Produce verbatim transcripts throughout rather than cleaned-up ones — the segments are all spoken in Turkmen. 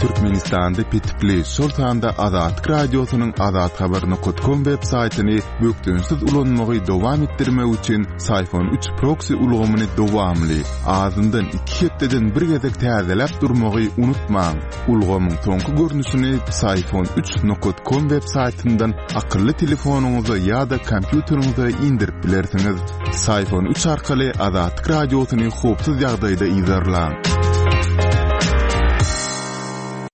Türkmenistanda petikli, şol sanda Azatlyk Radiosynyň azathabar nokat kom web saýtyny bökdençsiz ulanmagy dowam etdirmek üçin Syfon üç proksi ulgamyny dowamly, azyndan iki hepdeden bir gezek täzeläp durmagy unutmaň. Ulgamyň soňky görnüşini Syfon üç nokat kom web saýtyndan akylly telefonyňyza ýa-da kompýuteriňize indirip bilersiňiz. Syfon üç arkaly Azatlyk Radiosyny howpsuz ýagdaýda yzarlaň.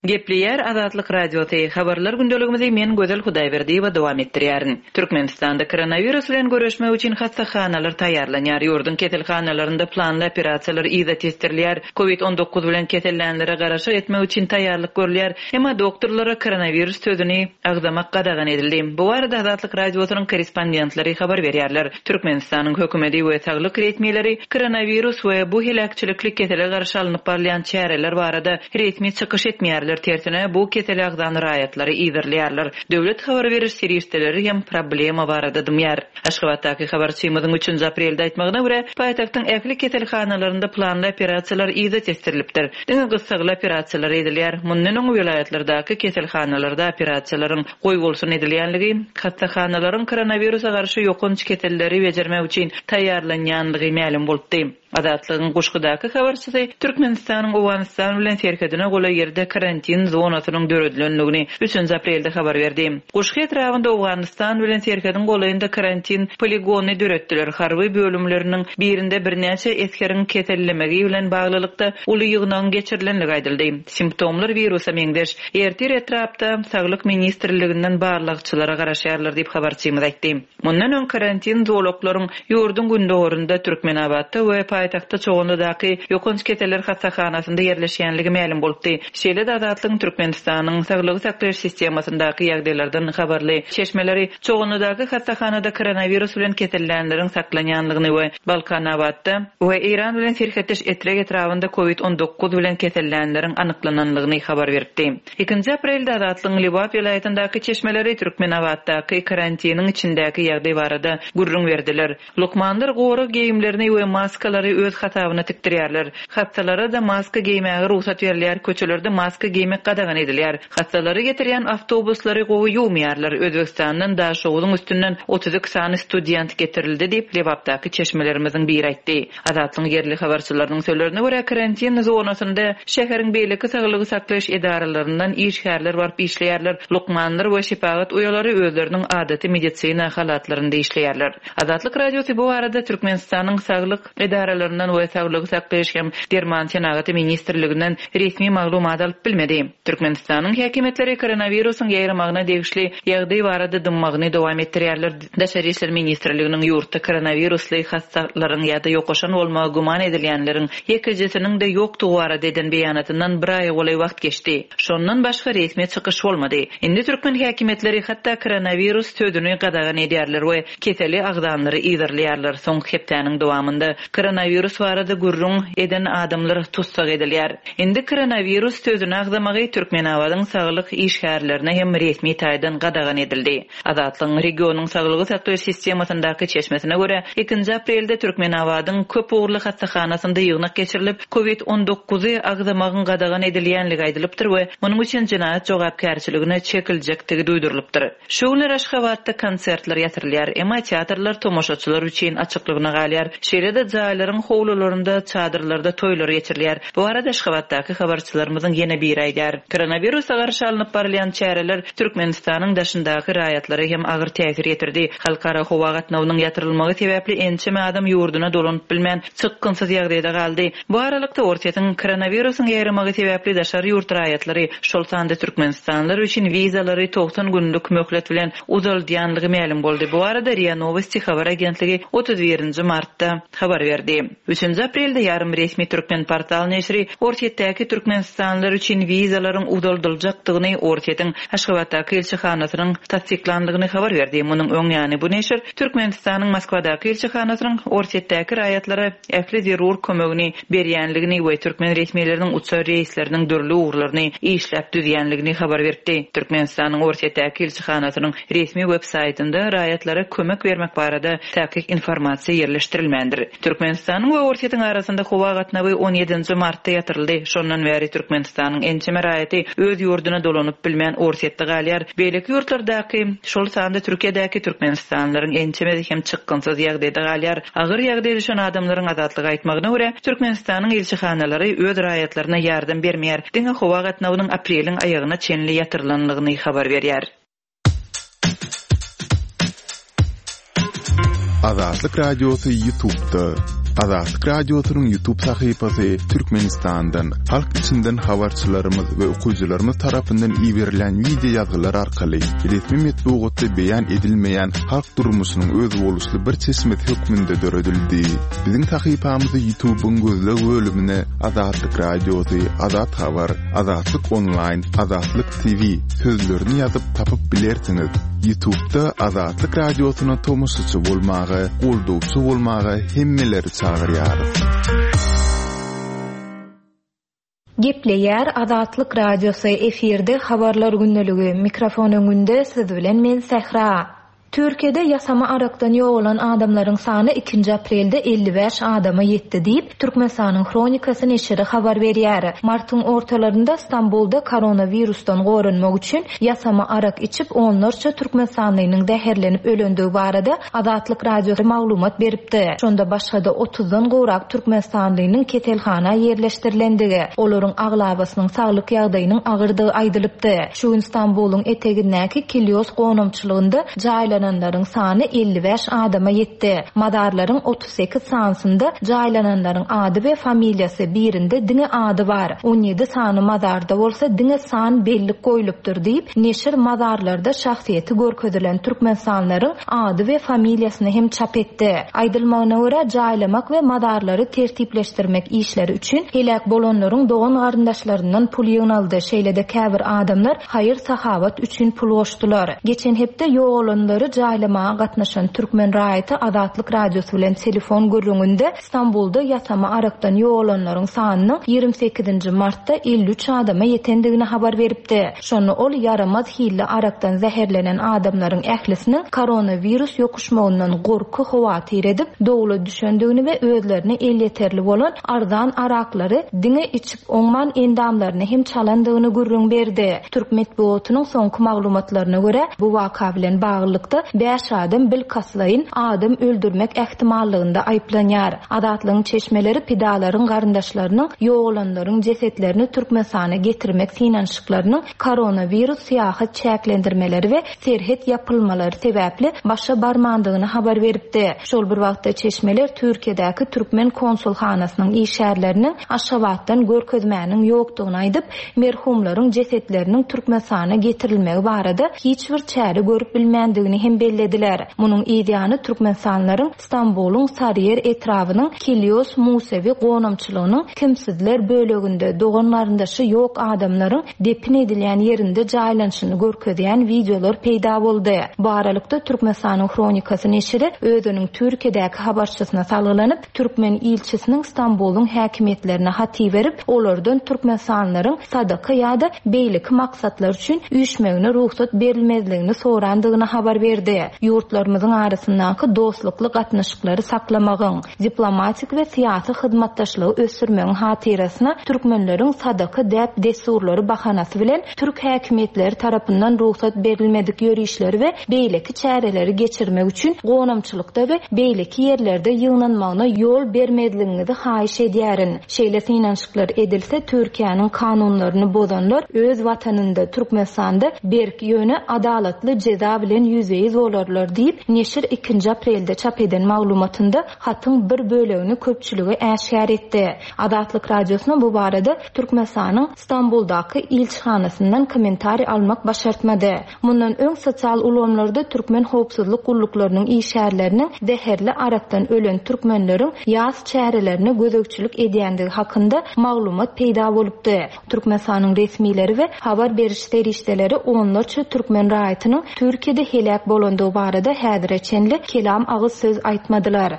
Gepleýär Azatlyk Radiosy. Habarlar gündeligimizi men Gözel Hudaýberdiýewa dowam etdirýärin. Türkmenistanda koronawirus bilen göreşmek üçin hassahanalar taýýarlanýar. Ýurduň keselhanalarynda planly operasiýalar yza tesdirilýär. Covid on dokuz bilen kesellänlere garaşyk etmek üçin taýýarlyk görülýär. Emma doktorlara koronawirus sözüni agzamak gadagan edildi. Bu barada Azatlyk Radiosynyň korrespondentleri habar berýärler. Türkmenistanyň hökümeti we saglyk resmileri koronawirus we bu heläkçilikli kesele garşy alnyp barylýan çäreler barada resmi çykyş etmeýärler. Tersine bu kesele agzan raýatlary yzarlaýarlar. Döwlet habar beriş serişdeleri hem problema barada dymýar. Aşgabatdaky habarçymyzyň üçünji aprelde aýtmagyna görä, paýtagtyň ähli keselhanalarynda planly operasiýalar yza tesdirilipdir. Diňe gyssagly operasiýalar edilýär. Mundan öň welaýatlardaky keselhanalarda operasiýalaryň goýbolsun edilýänligi, hassahanalaryň koronawirusa garşy ýokanç keselleri bejermek üçin taýýarlanýanlygy mälim bolupdy. Azatlygyň Guşgudaky habarçysy Türkmenistanyň Owganystan bilen serhedine golaý ýerde karantin zonasynyň döredilenligini üçünji aprelde habar berdi. Guşgy etrabynda Owganystan bilen serhediň golaýynda karantin poligony döretdiler. Harby bölümleriniň birinde birnäçe esgeriň kesellemegi bilen baglylykda uly ýygnagyň geçirilenligi aýdyldy. Simptomlar wirusa meňzeş. Ertir etrapda Saglyk ministrliginden barlagçylara garaşýarlar diýip habarçymyz aýtdy. Mundan öň karantin zolaklaryň ýurduň gündogarynda Türkmenabatda we paýtagtda Çoganlydaky ýokanç keseller hassahanasynda ýerleşýänligi mälim bolupdy. Şeýle-de Azatlygyň Türkmenistanyň saglygy saklaýyş sistemasyndaky ýagdaýlardan habarly çeşmeleri Çoganlydaky hassahanada koronawirus bilen kesellänleriň saklanýanlygyny we Balkanabatda we Eýran bilen serhetdeş Etrek etrabynda COVID on dokuz bilen kesellänleriň anyklananlygyny habar beripdi. Ikinji aprelde Azatlygyň Lebap welaýatyndaky çeşmeleri Türkmenabatdaky karantiniň içindäki ýagdaý barada gürrüň berdiler. Lukmanlar gorag geýimlerini we maskalary öz hasabyna tikdirýärler. Hassalara da maska geýmäge rugsat berilýär, köçelerde maska geýmek gadagan edilýär. Hassalary getirýän awtobuslary gowy ýuwmaýarlar. Özbekistandan Daşoguzyň üstünden otuz iki sany student getirildi diýip Lebapdaky çeşmelerimiziň biri aýtdy. Azatlygyň ýerli habarçylarynyň sözlerine görä karantin zonasynda şäheriň beýleki saglygy saklaýyş edaralaryndan işgärler baryp işleýärler. Lukmanlar we şepagat uýalary özleriniň adaty medisina halatlarynda işleýärler. Azatlyk Radiosy bu barada Türkmenistanyň saglyk edaralaryndan we saglygy saklaýyş hem derman senagaty ministrliginden resmi maglumat alyp bilmedi. Türkmenistanyň häkimiýetleri koronawirusyň ýaýramagyna degişli ýagdaý barada dymmagyny dowam etdirýärler. Daşary işler ministrliginiň ýurtda koronawirusly hassalaryň ýa-da ýokaşan bolmagy güman edilýänleriň ýekejesiniň de ýokdugy barada eden beýanatyndan bir aýa golaý wagt geçdi. Şondan başga resmi çykyş bolmady. Indi türkmen häkimiýetleri hatda koronawirus sözüni gadagan edýärler we keseli agzanlary yzarlaýarlar. Soňky hepdäniň dowamynda koronawirus barada gürrüň eden adamlar tussag edilýär. Indi koronawirus sözüni agzamagy Türkmenabadyň saglyk işgärlerine hem resmi taýdan gadagan edildi. Azatlygyň regionyň saglygy saklaýyş sistemasyndaky çeşmesine görä, ikinji aprelde Türkmenabadyň köp ugurly hassahanasynda ýygnak geçirilip, COVID on dokuzy agzamagyň gadagan edilýänligi aýdylypdyr we munuň üçin jenaýat jogapkärçiligine çekiljekdigi duýdurylypdyr. Şu günler Aşgabatda konsertler ýatyrylýar, emma teatrlar tomaşaçylar üçin açyklygyna galýar. Şeýle-de jaýlaryň howlularynda, çadyrlarda toýlar geçirilýär. Bu arada Aşgabatdaky habarçylarymyzyň ýene biri aýdar. Koronawirusa garşy alnyp barylýan çäreler Türkmenistanyň daşyndaky raýatlara hem agyr täsir ýetirdi. Halkara howa gatnawynyň ýatyrylmagy sebäpli ençeme adam ýurduna dolanyp bilmän çykgynsyz ýagdaýda galdy. Bu aralykda Orsýetiň koronawirusyň ýaýramagy sebäpli daşary ýurt raýatlary, şol sanda Türkmenistanlylar üçin wizalary togsan günlük möhlet bilen uzaldýanlygy mälim boldy. Bu arada RIA Novosti habar agentligi otuz birinji martda habar berdi. Üçünji aprelde ýarym resmi Türkmen portal neşiri Orsýetdäki Türkmenistanlylar üçin wizalaryň uzaldyljakdygyny Orsýetiň Aşgabatdaky ilçihanasynyň tassyklanlygyny habar berdi. Munuň öň ýany bu neşir Türkmenistanyň Moskwadaky ilçihanasynyň Orsýetdäki raýatlara ähli zerur kömegini berýänligini we türkmen resmileriniň uçar reýsleriniň dürli ugurlaryny işläp düzýänligini habar berdi. Türkmenistanyň Orsýetdäki ilçihanasynyň resmi web saýtynda raýatlara kömek bermek barada takyk informasiýa ýerleşdirilmändir. Türkmenistanyň Türkmenistanyň we Orsýetiň arasynda howa gatnawy on ýedinji martda ýatyryldy. Şondan bäri Türkmenistanyň ençeme raýaty öz ýurduna dolanyp bilmän Orsýetde galýar. Beýleki ýurtlardaky, şol sanda Türkiýedäki türkmenistanlylaryň ençemesi hem çykgynsyz ýagdaýda galýar. Agyr ýagdaýa düşen adamlaryň Azatlyga aýtmagyna görä, Türkmenistanyň ilçihanalary öz raýatlaryna ýardam bermeýär. Diňe howa gatnawynyň apreliň aýagyna çenli ýatyrylanlygyny habar berýär. Azatlyk Radiosy YouTube'da. Azatlyk Radiosynyň YouTube sahypasy Türkmenistandan, halk içinden habarçylarymyz we okyjylarymyz tarapyndan iberilen wideo ýazgylar arkaly resmi metbugatda beýan edilmeýän halk durmuşynyň özboluşly bir çeşmesi hökmünde döredildi. Biziň sahypamyzy YouTube'yň gözleg bölümine Azatlyk Radiosy, Azat Habar, Azatlyk Online, Azatlyk T V sözlerini ýazyp tapyp bilersiňiz. YouTube'da Azatlyk Radiosyna tomaşaçy bolmaga, goldawçy bolmaga hemmeleri çagyrýarys. Gepleýär Azatlyk Radiosy, efirde habarlar gündeligi, mikrofon öňünde siz bilen men Sähra. Türkiýede ýasama arakdan ýogalan adamlaryň sany ikinji aprelde elli bäş adama ýetdi diýip, Türkmenistanyň Hronikasy neşiri habar berýär. Martyň ortalarynda Stambulda koronawirusdan goranmak üçin ýasama arak içip onlarça türkmenistanlynyň zäherlenip ölendigi barada Azatlyk Radiosy maglumat beripdi. Şonda başga-da otuzdan gowrak türkmenistanlynyň keselhana ýerleşdirilendigi, olaryň aglabasynyň saglyk ýagdaýynyň agyrdygy aýdylypdy. Şu gün Stambulyň etegindäki Kilios gonamçylygynda jaýlananlaryň sany elli bäş adama ýetdi. Mazarlaryň otuz sekiz sanysynda jaýlananlaryň ady we familiýasy, birinde diňe ady bar. On ýedi sany mazarda bolsa diňe san bellik goýlupdyr diýip, neşir mazarlarda şahsyýeti görkezilen türkmenistanlaryň ady we familiýasyny hem çap etdi. Aýdylmagyna görä jaýlamak we mazarlary tertipleşdirmek işleri üçin heläk bolanlaryň dogan garyndaşlaryndan pul ýygnaldy. Şeýle-de käbir adamlar haýyr sahabat üçin pul goşdular. Geçen hepde ýogalanlary jaýlamaga gatnaşan türkmen raýaty Azatlyk Radiosy bilen telefon gürrüňinde Stambulda ýasama arakdan ýogalanlaryň sanynyň ýigrimi sekizinji martda elli üç adama ýetendigini habar beripdi. Şonda ol ýaramaz hilli arakdan zäherlenen adamlaryň ählisiniň koronawirus ýokuşmagyndan gorky howatyr edip, dowla düşendigini we özlerine elýeterli bolan arzan araklary diňe içip oňman endamlaryny hem çalandygyny gürrüň berdi. Türk metbugatynyň soňky maglumatlaryna görä, bu waka bilen baglylykda bäş adam bilkastlaýyn adam öldürmek ähtimallygynda aýyplanýar. Azatlygyň çeşmeleri pidalaryň garyndaşlarynyň ýogalanlaryň jesetlerini Türkmenistana getirmek synanyşyklarynyň koronawirus syýahat çäklendirmeleri we serhet ýapylmalary sebäpli başa barmandygyny habar beripdi. Şol bir wagtda çeşmeler Türkiýedäki türkmen konsulhanasynyň işgärleriniň Aşgabatdan görkezmäniň ýokdugyny aýdyp, merhumlaryň jesetleriniň Türkmenistana getirilmegi barada hiç bir çäre görüp bilmändigini hem bellediler. Munuň ýany Türkmenistanlaryň Stambulyň Sarıyer etrabynyň Kilios Musevi gonamçylygynyň kimsizler böleginde dogan garyndaşy ýok adamlaryň depin edilýän ýerinde jaýlanyşyny görkezýän wideolar peýda boldy. Bu aralykda Türkmenistanyň Hronikasy neşiri özüniň Türkiýedäki habarçysyna salgylanyp, türkmen ilçisiniň Stambulyň häkimiýetlerine hat iberip, olardan türkmenistanlaryň sadaka ýa-da beýleki maksatlar üçin üýşmegine rugsat berilmezligini sorandygyny habar berdi. Ýurtlarymyzyň arasyndaky dostlukly gatnaşyklary saklamagyň, diplomatik we syýasy hyzmatdaşlygy ösdürmegiň hatyrasyna türkmenleriň sadaka däp dessurlary bahanasy bilen türk häkimiýetleri tarapyndan rugsat berilmedik ýörişleri we beýleki çäreleri geçirmek üçin gonamçylykda we beýleki ýerlerde ýygnanmagyna ýol bermezligiňizi haýyş edýärin. Şeýle synanyşyklar edilse Türkiýäniň kanunlaryny bozanlar öz watanynda Türkmenistanda berk ýöne adalatly jeza bilen ýüzbe-ýüz bolarlar diýip, neşir ikinji aprelde çap eden maglumatynda hatyň bir bölegini köpçülige äşgär etdi. Azatlyk Radiosyna bu barada Türkmenistanyň Stambuldaky ilçihanasyndan kommentariý almak başartmady. Mundan öň sosial ulgamlarda türkmen howpsuzlyk gulluklarynyň işgärleriniň zäherli arakdan ölen türkmenleriň ýas çärelerine gözegçilik edýändigi hakynda maglumat peýda bolupdy. Türkmenistanyň resmileri we habar beriş serişdeleri onlarça türkmen raýatynyň Türkiýede heläk bolandygy barada häzire çenli kelam agyz söz aýtmadylar.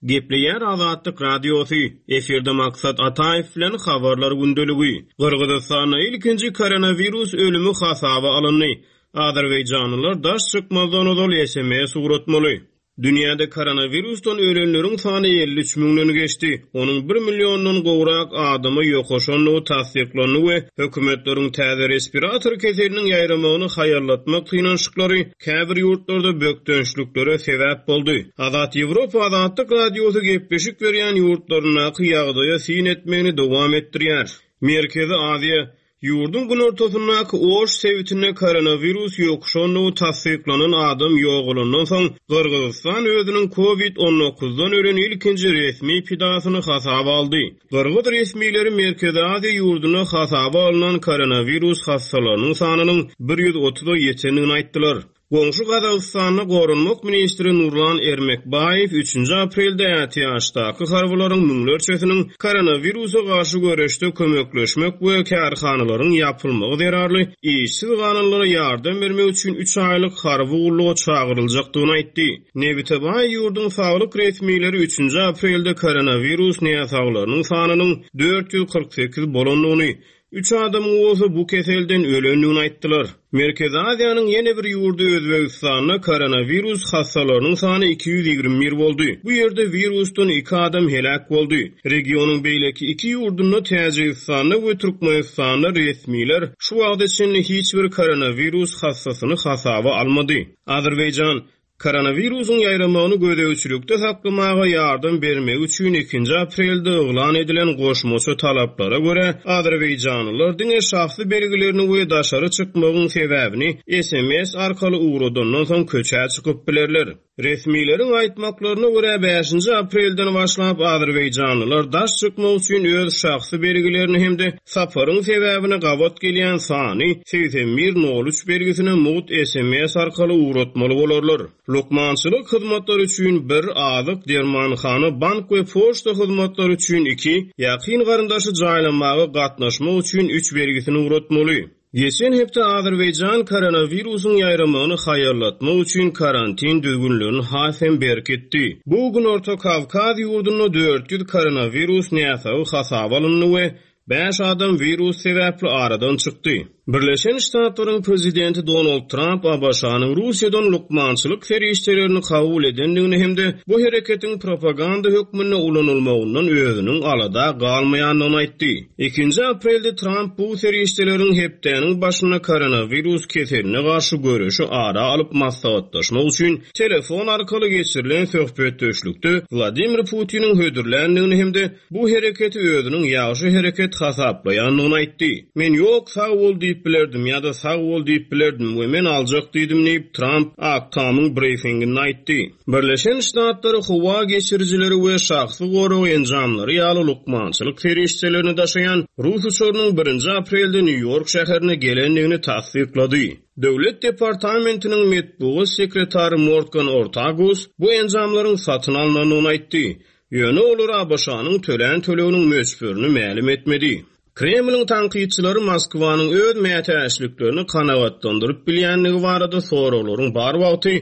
Gepleýär Azatlyk Radiosy, efirde Maksat Ataýew bilen habarlar gündeligi. Gyrgyzystanda ilkinji koronawirus ölümi hasaba alyndy. Azerbaýjanlylar daş çykmazdan ozal S M S ugratmaly. Dünýäde koronawirusdan ölenleriň sany elli üç müňden geçdi. Onuň bir milliondan gowrak adama ýokaşandygy tassyklandy we hökümetleriň täze respirator keseliniň ýaýramagyny haýallatmak synanyşyklary käbir ýurtlarda bökdençliklere sebäp boldy. Azat Ýewropa Azatlyk Radiosy gepleşik berýän ýurtlaryndaky ýagdaýa syn etmegini dowam etdirýär. Merkezi Aziýa ýurduň günortasyndaky Oş sebitinde koronawirus ýokuşandygy tassyklanan adam ýogalandan soň Gyrgyzystan özüniň COVID on dokuzdan ölen ilkinji resmi pidasyny hasaba aldy. Gyrgyz resmileri Merkezi Aziýa ýurdunda hasaba alynan koronawirus hassalarynyň sanynyň bir ýüz otuza ýetendigini aýtdylar. Goňşy Gazagystanda Goranmak ministri Nurlan Ermekbaýew üçünji aprelde ätiýaçdaky harbylaryň müňlerçesiniň koronawirusa garşy göreşde kömekleşmek we kärhanalaryň ýapylmagy zerarly işsiz galanlara ýardam bermek üçin üç aýlyk harby gulluga çagyryljakdygyny aýtdy. Nebitebaý ýurduň saglyk resmileri üçünji aprelde koronawirus näsaglarynyň sanynyň dört ýüz kyrk sekiz bolandygyny, üç adamyň bolsa bu keselden ölendigini aýtdylar. Merkezi Aziýanyň ýene bir ýurdy Özbegistanda koronawirus hassalarynyň sany iki ýüz ýigrimi bir boldy. Bu ýerde wirusdan iki adam heläk boldy. Regionyň beýleki iki ýurdunda Täjigistanda we Türkmenistanda resmiler şu wagta çenli hiç bir koronawirus hassasyny hasaba almady. Azerbaýjan koronawirusyň ýaýramagyny gözegçilikde saklamaga ýardam bermek üçin ikinji aprelde yglan edilen goşmaça talaplara görä Azerbaýjanlylar diňe şahsy belgilerini we daşary çykmagyň sebäbini S M S arkaly ugradandan soň köçä çykyp bilerler. Resmileriň aýtmaklaryna görä bäşinji aprelden başlap Azerbaýjanlylar daş çykmak üçin öz şahsy belgilerini hem-de saparyň sebäbine gabat gelýän sany seksen bir nol üç belgisine mugt S M S arkaly ugratmaly bolarlar. Lukmançylyk hyzmatlary üçin bir, azyk, dermanhana, bank we poçta hyzmatlary üçin iki, ýakyn garyndaşy jaýlamaga gatnaşmak üçin üç belgisini ugratmaly. Geçen hepde Azerbaýjan koronawirusyň ýaýramagyny haýallatmak üçin karantin düzgünlerini has hem berkitdi. Bu Günorta Kawkaz ýurdunda dört ýüz koronawirus näsagy hasaba alyndy we bäş adam wirus sebäpli aradan çykdy. Birleşen Ştatlaryň prezidenti Donald Trump A B Ş-nyň Russiýadan lukmançylyk serişdelerini kabul edendigini hem-de bu hereketiň propaganda hökmünde ulanylmagyndan özüniň alada galmaýandygyny aýtdy. Ikinji aprelde Trump bu serişdeleriň hepdäniň başynda koronawirus keseline garşy göreşi ara alyp maslahatlaşmak üçin telefon arkaly geçirilen söhbetdeşlikde Wladimir Putiniň hödürländigini hem-de bu hereketi özüniň ýagşy hereket hasaplaýandygyny aýtdy. Men ýok sag bol diýip bilerdim ýa-da sag bol diýip bilerdim we men aljak diýdim diýip Trump Ak Tamyň briefinginde aýtdy. Birleşen Ştatlary howa geçirijileri we şahsy gorag enjamlary ýaly lukmançylyk serişdelerini daşaýan Rus uçarynyň birinji aprelde Nýu-Ýork şäherine gelendigini tassyklady. Döwlet departamentiniň metbugat sekretary Morgan Ortagus bu enjamlaryň satyn alynandygyny aýtdy. Ýöne olar A B Ş-nyň tölän töleginiň möçberini mälim etmedi. Kremliň tankytçylary Moskwanyň öz mätäçliklerini kanagatlandyryp bilýändigi barada soraglaryň bar wagty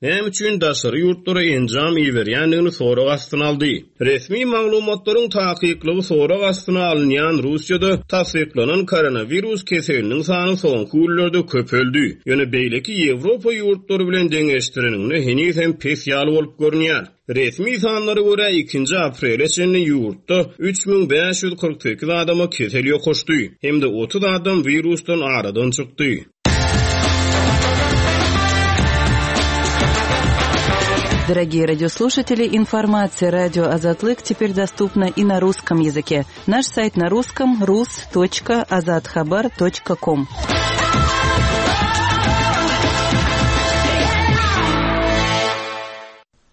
näme üçin daşary ýurtlara enjam iberýändigini sorag astyna aldy. Resmi maglumatlaryň takyklygy sorag astyna alynýan Russiýada tassyklanan koronawirus keseliniň sany soňky günlerde köpeldi. Ýöne beýleki Ýewropa ýurtlary bilen deňeşdireninde heniz hem pes ýaly bolup görünýär. Resmi sanlara görä ikinji aprele çenli ýurtda üç müň bäş ýüz kyrk sekiz adama kesel ýokaşdy hem-de otuz adam wirusdan aradan çykdy. Дорогие радиослушатели, информация радио Азатлык теперь доступна и на русском языке. Наш сайт на русском рус точка азатхабар точка ком.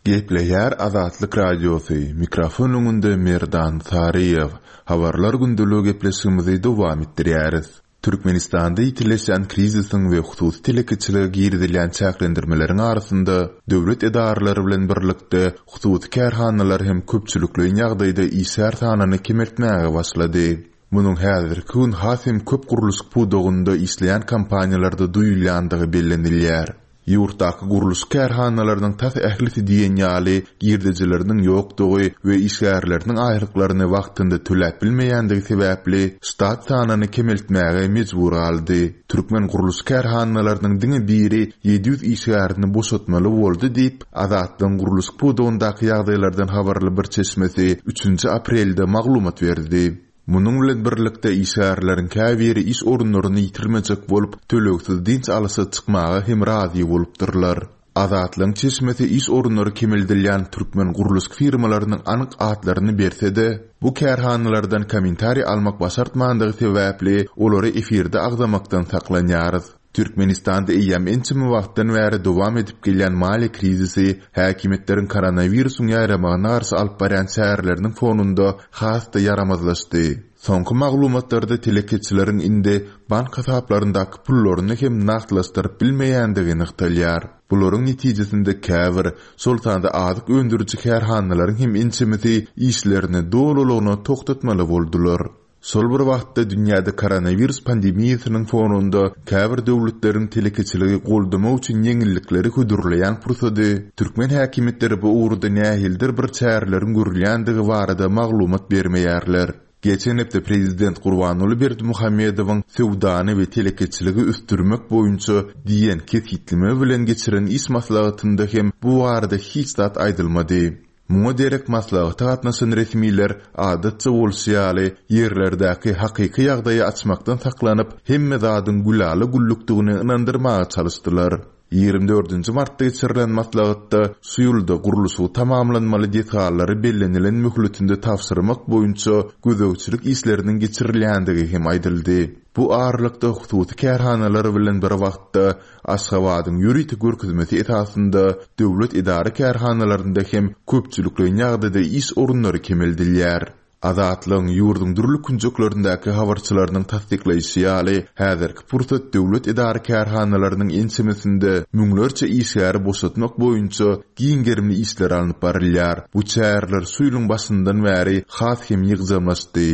Gepleýär Azatlyk Radiosy, mikrofon öňünde Merdan Saryýew. Habarlar gündeliği gepleşigimizi dowam etdirýäris. Türkmenistanda ýitileşen krizisiň we hususy telekeçilige girizilýän çäklendirmeleriň arasynda döwlet edaralary bilen birlikde hususy kärhanalar hem köpçülikleýin ýagdaýda işgär sanyny kemeltmäge başlady. Munuň häzirki gün has hem köp gurluşyk pudagynda işleýän kompaniýalarda duýulýandygy bellenilýär. Ýurtdaky gurluşyk kärhanalarynyň tas ählisi diýen ýaly girdejileriniň ýokdugy we işgärleriniň aýlyklaryny wagtynda töläp bilmeýändigi sebäpli ştat sanyny kemeltmäge mejbur galdy. Türkmen gurluşyk kärhanalarynyň diňe biri ýedi ýüz işgärini boşatmaly boldy diýip, Azatlygyň gurluşyk pudagyndaky ýagdaýlardan habarly bir çeşmesi üçünji aprelde maglumat berdi. Munuň bilen birlikde işgärleriň käbiri iş orunlaryny ýitirmejek bolup, tölegsiz dynç alyşa çykmaga hem razy bolupdyrlar. Azatlygyň çeşmesi iş orunlary kemeldilýän türkmen gurluşyk firmalarynyň anyk atlaryny berse-de, bu kärhanalardan kommentariý almak başartmandygy sebäpli olary efirde agzamakdan saklanýarys. Türkmenistanda eýýäm ençeme wagtdan bäri dowam edip gelýän maliýe krizisi häkimiýetleriň koronawirusyň ýaýramagyna garşy alyp barýan çäreleriniň fonunda has-da ýaramazlaşdy. Soňky maglumatlarda telekeçileriň indi bank hasaplaryndaky pullaryny hem nagtlaşdyryp bilmeýändigi nygtalýar. Bularyň netijesinde käbir, şol sanda azyk öndüriji kärhanalaryň hem ençemesi işlerini dolulygyna togtatmaly boldular. Şol bir wagtda dünýäde koronawirus pandemiýasynyň fonunda käbir döwletleriň telekeçiligi goldamak üçin ýeňillikleri hödürleýän pursady türkmen häkimiýetleri bu ugurda nähilidir bir çäreleriň görülýändigi barada maglumat bermeýärler. Geçen hepde prezident Gurbanguly Berdimuhamedowyň söwdany we telekeçiligi ösdürmek boýunça diýen kesgitleme bilen geçiren iş maslahatynda hem bu barada hiç zat aýdylmady. Muňa derek maslahata gatnaşan resmiler adatça bolşy ýaly ýerlerdäki hakyky ýagdaýy açmakdan saklanyp, hemme zadyň gülala-güllükdigini ynandyrmaga çalyşdylar. Ýigrimi dördünji martda geçirilen maslahatda şu ýylda gurluşygy tamamlanmaly desgalary bellenilen möhletinde tabşyrmak boýunça gözegçilik işleriniň geçirilýändigi hem aýdyldy. Bu aralykda hususy kärhanalar bilen bir wagtda Aşgabadyň ýörite görkezmesi esasynda döwlet edara kärhanalarynda hem köpçülikleýin ýagdaýda iş orunlary kemeldilýär. Azatlygyň ýurduň dürli künjeklerindäki habarçylarynyň tassyklaýşy ýaly, häzirki pursat döwlet edara kärhanalarynyň ençemesinde müňlerçe işgäri boşatmak boýunça giň gerimli işler alnyp barylýar. Bu çäreler şu ýylyň başyndan bäri has hem ýygjamlaşdy.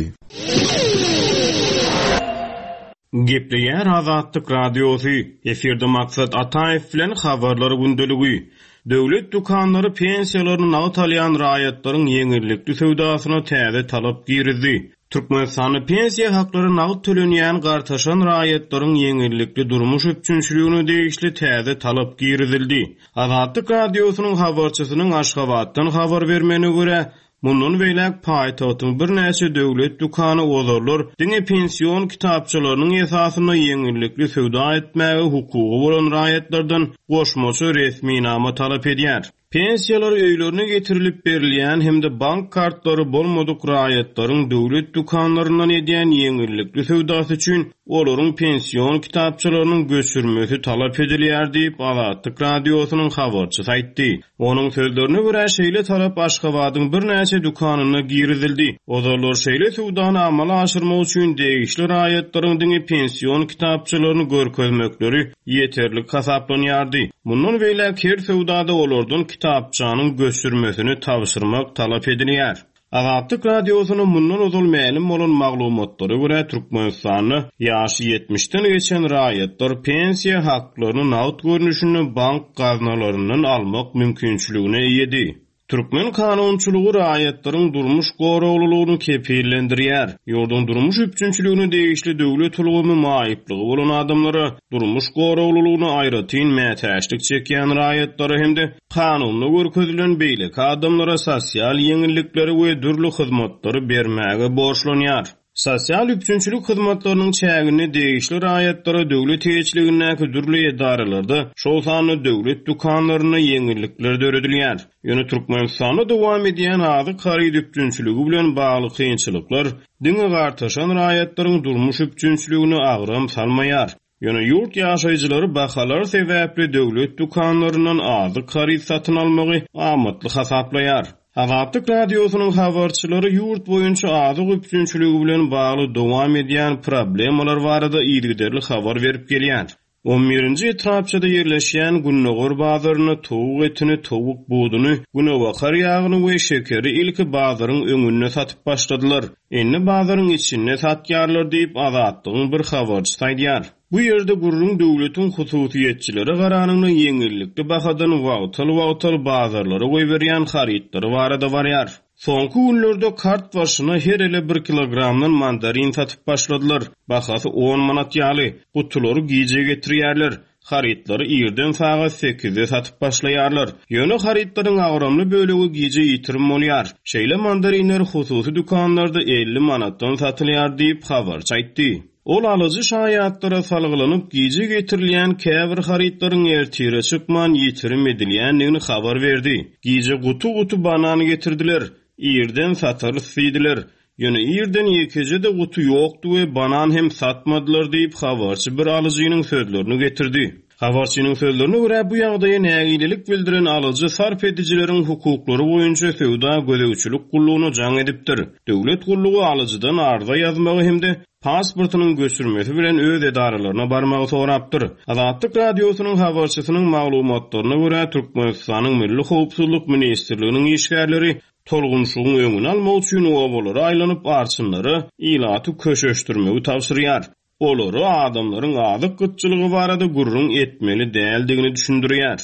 Gepleýär Azatlyk Radiosy, efirde Maksat Ataýew bilen habarlar gündeligi. Döwlet dükanlary pensiýalaryny nagt alýan raýatlaryň ýeňillikli söwdasyna täze talap girizdi. Türkmenistanda pensiýa haklary nagt tölenýän gartaşan raýatlaryň ýeňillikli durmuş üpjünçiligine degişli täze talap girizildi. Azatlyk Radiosynyň habarçysynyň Aşgabatdan habar bermegine görä, mundan beýläk paýtagtyň birnäçe döwlet dükany ozarlar diňe pension kitapçalarynyň esasynda ýeňillikli söwda etmäge hukugy bolan raýatlardan goşmaça resminama talap edýär. Pensiýalar öýlerine getirilip berilýän hem-de bank kartlary bolmadyk raýatlaryň döwlet dükanlaryndan edýän ýeňillikli söwdasy üçin olaryň pension kitapçalarynyň göçürmesi talap edilýär diýip Azatlyk Radiosynyň habarçysy aýtdy. Onuň sözlerine görä şeýle talap Aşgabadyň birnäçe dükanynda girizildi. Ozarlar şeýle söwdany amala aşyrmak üçin degişli raýatlaryň diňe pension kitapçalaryny görkezmekleri ýeterlik hasaplanýardy. Mundan beýläk her söwdada olardan kitapçanyň göçürmesini tabşyrmak talap edilýär. Azatlyk Radiosyna mundan ozal mälim bolan maglumatlara görä Türkmenistanda ýaşy ýetmişden geçen raýatlar pensiýa haklaryny nagt görnüşinde bank gaznalaryndan almak mümkinçiligine eýedi. Türkmen kanunçylygy raýatlaryň durmuş goraglylygyny kepillendirýär. Ýurduň durmuş üpjünçiligine degişli döwlet ulgamy maýyplygy bolan adamlara durmuş goraglylygyna aýratyn mätäçlik çekýän raýatlara hem-de kanunda görkezilen beýleki adamlara sosial ýeňillikleri we dürli hyzmatlary bermäge borçlanýar. Sosial üpjünçilik hyzmatlarynyň çäginde degişli raýatlara döwlet eýeçiligindäki dürli edaralarda, şol sanda döwlet dükanlarynda ýeňillikler döredilýär. Ýöne Türkmenistanda dowam edýän azyk haryt üpjünçiligi bilen bagly kynçylyklar diňe gartaşan raýatlaryň durmuş üpjünçiligine agram salmaýar. Ýöne ýurt ýaşaýjylary bahalar sebäpli döwlet dükanlaryndan azyk haryt satyn almagy amatly hasaplaýar. Azatlyk Radiosynyň habarçylary ýurt boýunça azyk üpjünçiligi bilen bagly dowam edýän problemalar barada yzygiderli habar berip gelýär. On birinji etrapçada ýerleşýän Gündogar bazarynda towuk etini, towuk buduny, günebakar ýagyny we şekeri ilki bazaryň öňünde satyp başladylar. Indi bazaryň içinde satýarlar diýip Azatlygyň bir habarçysy aýdýar. Bu ýerde gürrüň döwletiň hususyýetçilere garanyňda ýeňillikli bahadan wagtal-wagtal bazarlara goýberýän harytlary barada barýar. Soňky günlerde kart başyna her ele bir kilogramdan mandarin satyp başladylar. Bahasy on manat ýaly. Gutulary gije getirýärler. Harytlary irden sagat sekizde satyp başlaýarlar. Ýöne harytlaryň agramly bölegi gije ýitirim bolýar. Şeýle mandarinler hususy dükanlarda elli manatdan satylýar diýip habarçy aýtdy. Ol alyjy şaýatlara salgylanyp gije getirilýän käbir harytlaryň ertire çykman ýitirim edilýändigini habar berdi. Gije gutu-gutu banan getirdiler. Irden satarys diýdiler. Ýöne irden ýekeje-de gutu ýokdy we banan hem satmadylar diýip habarçy bir alyjynyň sözlerini getirdi. Habarçynyň sözlerine görä bu ýagdaýa nägilelik bildiren alyjy sarp edijileriň hukuklary boýunça söwda gözegçilik gullugyna jaň edipdir. Döwlet gullugy alyjydan arza ýazmagy hem-de pasportynyň göçürmesi bilen öz edaralaryna barmagy sorapdyr. Azatlyk radiosynyň habarçysynyň maglumatlaryna görä Türkmenistanyň Milli Howpsuzlyk Ministrliginiň işgärleri tolgunşygyň öňüni almak üçin obalara aýlanyp arçynlara ilaty köşeşdirmegi tabşyrýar. Olary adamlaryň azyk gytçylygy barada gürrüň etmeli däldigini düşündirýär.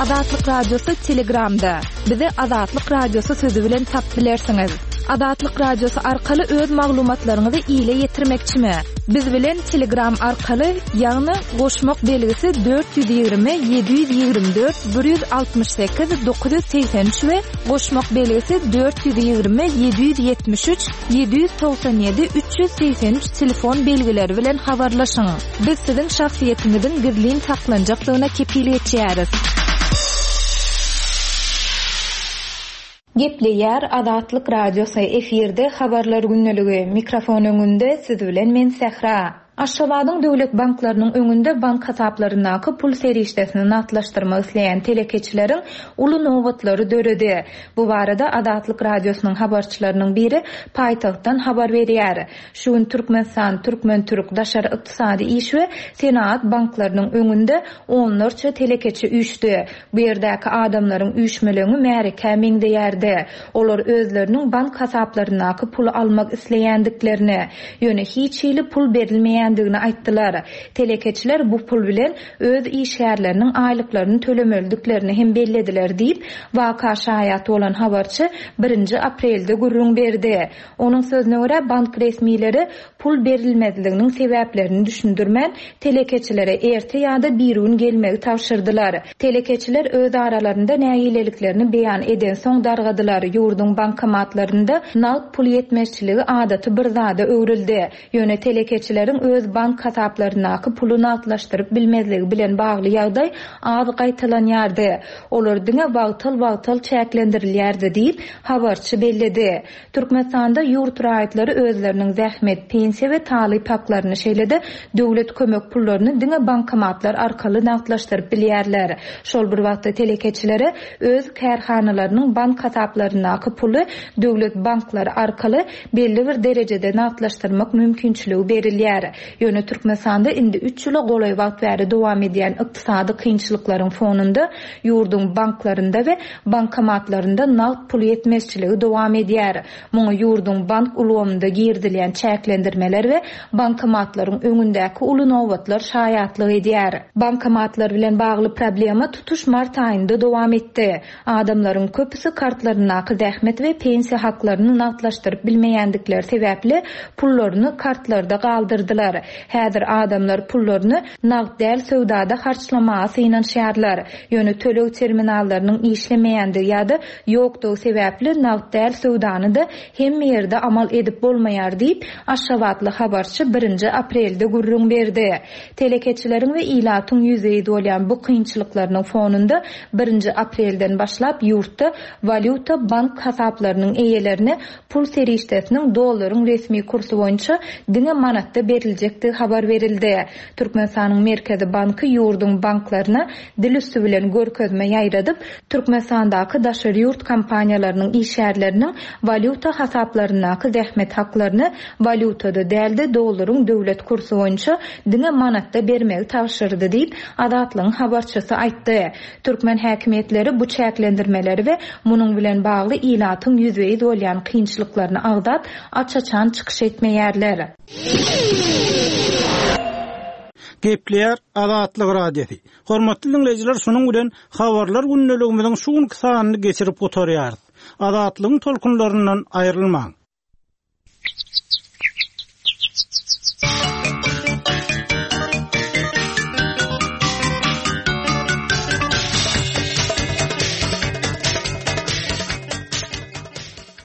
Azatlyk Radiosy Telegramda. Bizi Azatlyk Radiosy sözü bilen tap bilersiňiz. Azatlyk Radiosy arkaly öz maglumatlaryňyzy ile ýetirmekçimi? Biz bilen Telegram arkaly, ýagny goşmak belgisi dört ýüz ýigrimi, ýedi ýüz ýigrimi dört, bir ýüz altmyş sekiz, dokuz ýüz segsen üç we goşmak belgisi dört ýüz ýigrimi, ýedi ýüz ýetmiş üç, ýedi ýüz togsan ýedi, üç ýüz segsen üç telefon belgileri bilen habarlaşyň. Biz siziň şahsyýetiňiziň gizlin saklanjakdygyna kepil geçýäris. Gepleýär Azatlyk Radiosy efirde habarlar gündeligi. Mikrofon öňünde siz bilen men Sähra. Aşgabadyň döwlet banklarynyň öňünde bank hasaplaryndaky pul serişdesini nagtlaşdyrmak isleýän telekeçileriň uly nobatlary döredi. Bu barada Azatlyk Radiosynyň habarçylarynyň biri paýtagtdan habar berýär. Şu gün Türkmenistan, Türkmen-Türk daşary ykdysady iş we senagat banklarynyň öňünde onlarça telekeçi üýşdi. Bu ýerdäki adamlaryň üýşmeleňi märekä meňzeýärdi. Olar özleriniň bank hasaplaryndaky puly almak isleýändiklerini, ýöne hiç hili pul berilmeýändigini aýtdylar. Telekeçiler bu pul bilen öz işgärleriniň aýlyklaryny tölemelidiklerini hem bellediler diýip, waka şaýat bolan habarçy birinji aprelde gürrüň berdi. Onuň sözüne görä bank resmileri pul berilmezliginiň sebäplerini düşündirmän, telekeçilere erte ýa-da bir gün gelmegi tabşyrdylar. Telekeçiler öz aralarynda nägileliklerini beýan eden soň dargadylar. Ýurduň bankomatlarynda nagt pul ýetmezçiligi adaty bir zada öwrüldi. Ýöne telekeçileriň öz bank hasaplaryndaky puly nagtlaşdyryp bilmezligi bilen bagly ýagdaý az gaýtalanýardy. Olar diňe wagtal-wagtal çäklendirilýärdi diýip habarçy belledi. Türkmenistanda ýurt raýatlary özleriniň zähmet, pensiýa we talyp haklaryny şeýle-de döwlet kömek pullaryny diňe bankomatlar arkaly nagtlaşdyryp bilýärler. Şol bir wagtda telekeçilere öz kärhanalarynyň bank hasaplaryndaky puly döwlet banklary arkaly belli bir derejede nagtlaşdyrmak mümkinçiligi berilýär. Ýöne Türkmenistanda indi üç ýyla golaý wagt bäri dowam edýän ykdysady kynçylyklaryň fonunda ýurduň banklarynda we bankomatlarynda nagt pul ýetmezçiligi dowam edýär. Muňa ýurduň bank ulgamynda girizilýän çäklendirmeler we bankomatlaryň öňündäki uly nobatlar şaýatlyk edýär. Bankomatlar bilen bagly problema tutuş mart aýynda dowam etdi. Adamlaryň köpüsi kartlaryndaky zähmet we pensiýa haklaryny nagtlaşdyryp bilmeýändikleri sebäpli pullaryny kartlarda galdyrdylar. Häzir adamlar pullaryny nagt däl söwdada harçlamaga synanyşýarlar. Ýöne töleg terminallarynyň işlemeýändigi ýa-da ýokdugy sebäpli nagt däl söwdany da hemme ýerde amal edip bolmaýar diýip Aşgabatly habarçy birinji aprelde gürrüň berdi. Telekeçileriň we ilatyň ýüzbe-ýüz bolýan bu kynçylyklarynyň fonunda birinji aprelden başlap ýurtda walýuta bank hasaplarynyň eýelerine pul serişdesiniň dollaryň resmi kursy boýunça diňe manatda beriljekdigi habar berildi. Türkmenistanyň Merkezi Banky ýurduň banklaryna dil üstü bilen görkezme ýaýradyp, Türkmenistandaky daşary ýurt kompaniýalarynyň işgärleriniň walýuta hasaplaryndaky zähmet haklaryny walýutada däl-de dollaryň döwlet kursy boýunça diňe manatda bermegi tabşyrdy diýip Azatlygyň habarçysy aýtdy. Türkmen häkimiýetleri bu çäklendirmeleri we munuň bilen bagly ilatyň ýüzbe-ýüz bolýan kynçylyklaryny agzap, aç-açan çykyş etmeýärler. Gepleýär Azatlyk Radiosy. Hormatly diňleýjiler, şunuň bilen habarlar gündeligimiziň şu günki sanyny geçirip gutarýarys. Azatlygyň tolkunlaryndan aýrylmaň.